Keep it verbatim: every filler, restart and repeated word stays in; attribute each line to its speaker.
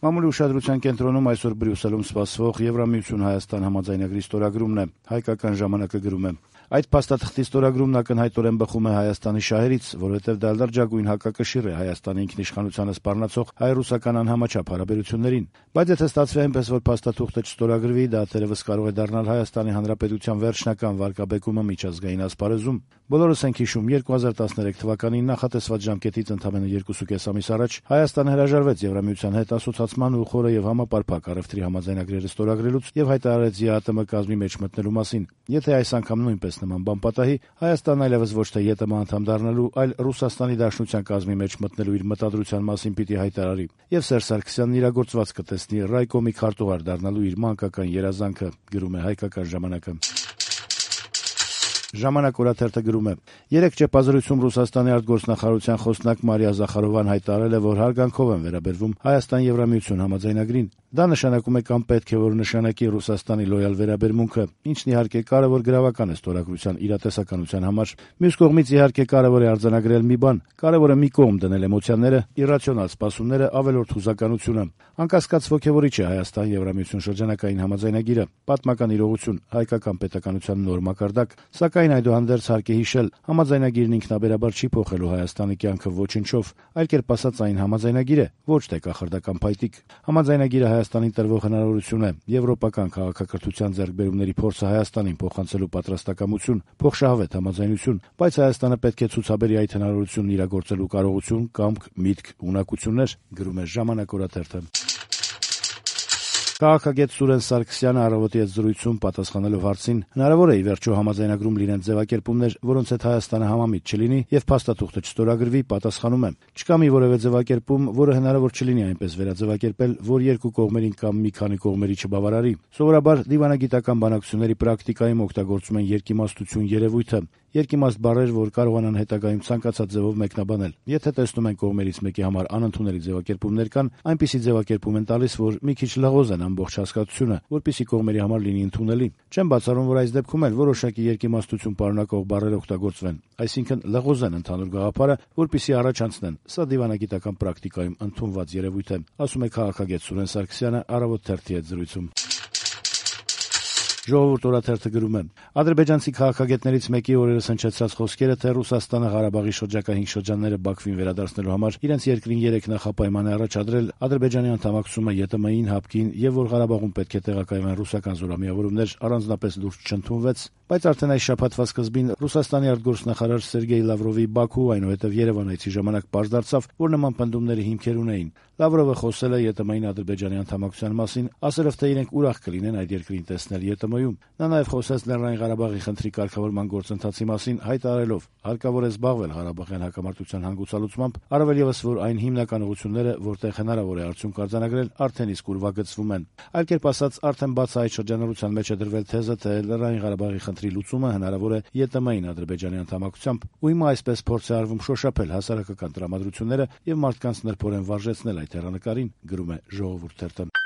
Speaker 1: Մամուլի ուշադրության կենտրոնում այսօր Բրյուսելում սպասվող Եվրամիություն-Հայաստան համաձայնագրի ստորագրումն է, հայկական ժամանակը գրում է. Այդ փաստաթղթի ստորագրումն ակնհայտորեն բխում է Հայաստանի շահերից, որովհետև դա լրջագույն հակակշիռ է Հայաստանի ինքնիշխանությանը սպառնացող հայ-ռուսական անհամաչափ հարաբերություններին։ Բայց եթե ստացվի այնպես, որ փաստաթուղթը չստորագրվի, դա թերևս կարող է դառնալ Հայաստանի Հանրապետության վերջնական վարկաբեկումը միջազգային ասպարեզում։ Բոլորս ենք հիշում, երկու հազար տասներեք թվականին նախատեսված ժամկետից ընդամենը երկուսուկես ամիս առաջ Հայաստանը հրաժարվեց Եվրամիության հետ ասոցացման ու խորը եւ համապարփակ առևտրի համաձայնագրերը ստորագրելուց եւ հայտարարեց ԵԱՏՄ կազմի մեջ մտնելու մասին։ Եթե այս անգամ նույնպես նման բան պատահի, Հայաստանն այլևս ոչ թե ԵՏՄ անդամ դառնալու, այլ Ռուսաստանի Դաշնության կազմի մեջ մտնելու իր մտադրության մասին պիտի հայտարարի։ Եվ Սերժ Սարգսյանն իրագործված կտեսնի Ռայկոմի քարտուղար դառնալու իր մանկական երազանքը, գրում է Հայկական ժամանակը։ Ժամանակ օրաթերթը գրում է. Երեկ ճեպազրույցում Ռուսաստանի արտգործնախարարության խոսնակ Մարիա Զախարովան հայտարարել է, որ հարգանքով են վերաբերվում Հայաստան-Եվրամիություն համաձայնագրին։ Դա նշանակում է կամ պետք է որ նշանակի Ռուսաստանի լոյալ վերաբերմունքը, ինչն իհարկե կարևոր գրավական է ստորագրության իրատեսականության համար։ Մյուս կողմից իհարկե կարևոր է արձանագրել մի բան. կարևոր է մի կողմ դնել էմոցիաները, իրացիոնալ սպասումները, ավելորդ հուզականությունը։ Անկասկած ոգևորիչ է Հայաստան-Եվրամիություն շրջանակային համաձայնագիրը, պատմական իրողություն, հայկական պետականության նոր մակարդակ, սակայն այդուհանդերձ հարկ է հիշել, համաձայնագիրն ինքնաբերաբար չի փոխելու Հայաստանի կյանքը ոչնչով, այլ կերպ ասած այն համաձայնագիր է, ոչ թե կախարդական փայտիկ։ Համաձայնագիրը Հայաստանին տրվող հնարավորություն է, եվրոպական քաղաքակրթության ձեռքբերումների փորձը Հայաստանին փոխանցելու պատրաստակամություն, փոխշահավետ համաձայնություն, բայց Հայաստանը պետք է ցուցաբերի այդ հնարավորությունն իրագործելու կարողություն, կամք, միտք, ունակություններ, գրում է Ժամանակ օրաթերթը։ Քաղաքագետ Սուրեն Սարգսյանը «Առավոտի» հետ զրույցում պատասխանելով հարցին հնարավոր է ի վերջո համաձայնագրում լինեն ձևակերպումներ, որոնց հետ Հայաստանը համամիտ չլինի եւ փաստաթուղթը չստորագրվի, պատասխանում է. «Չկա մի որևէ ձևակերպում, որը հնարավոր չլինի այնպես վերաձևակերպել, որ երկու կողմերին կամ մի քանի կողմերի չբավարարի։ Սովորաբար դիվանագիտական բանակցությունների պրակտիկայում օգտագործում են երկիմաստություն երևույթը, երկիմաստ բառեր, որ կարողանան հետագայում ցանկացած ձևով մեկնաբանել։ Եթե տեսնում են կողմերից մեկի համար անընդունելի ձևակերպումներ կան, այնպիսի ձևակերպում են տալիս, որ մի քիչ լղոզ են ամբողջ հասկացությունը, որպեսզի կողմերի համար լինի ընդունելի։ Չեմ բացառում, որ այս դեպքում էլ որոշակի երկիմաստություն պարունակող բառեր օգտագործվեն, այսինքն լղոզ են ընդհանուր գաղափարը, որպեսզի առաջ անցնեն։ Սա դիվանագիտական պրակտիկայում ընդունված երևույթ է», ասում է քաղաքագետ Սուրեն Սարգսյանը «Առավոտ» թերթի հետ զրույցում։ Ժողովուրդ օրաթերթը գրում է. ադրբեջանցի քաղաքագետներից մեկի օրերս հնչեցրած խոսքերը, թե Ռուսաստանը Ղարաբաղի շրջակա հինգ շրջանները Բաքվին վերադարձնելու համար իրենց երկրին երեք նախապայման է առաջադրել Ադրբեջանի անդամակցումը ԵՏՄ-ին, ՀԱՊԿ-ին եւ որ Ղարաբաղում պետք է տեղակայվեն ռուսական զորամիավորումներ, առանձնապես լուրջ չընդունվեց, բայց արդեն այս շաբաթվա սկզբին Ռուսաստանի արտգործնախարար Սերգեյ Լավրովի Բաքու, այնուհետև Երևան այցի ժամանակ պարզ դարձավ, որ նման պնդումների հիմքեր ունեին։ Լավրովը խոսել է ԵՏՄ-ին Ադրբեջանի անդամակցության մասին, ասելով, թե իրենք ուրախ կլինեն այդ երկրին տեսնել ԵՏՄ-ում։ Նա նաև խոսեց Լեռնային Ղարաբաղի խնդրի կարգավորման գործընթացի մասին, հայտարարելով. հարկավոր է զբաղվել Ղարաբաղյան հակամարտության հանգուցալուծմամբ, առավել ևս որ այն հիմնական ուղղությունները, որտեղ հնարավոր է արդյունք արձանագրել, արդեն իսկ ուրվագծվում են։ Այլ կերպ ասած, արդեն բաց այդ շրջանառության մեջ է դրվել թեզը, թե Լեռնային Ղարաբաղի խնդրի լուծումը հնարավոր է ԵՏՄ-ին Ադրբեջանի անդամակցությամբ, ու հիմա այսպես փորձ է արվում շոշափել հասարակական տրամադրությունները եւ մարդկանց նրբորեն վարժեցնել այդ հեռանկարին, գրում է Ժողովուրդ թերթը։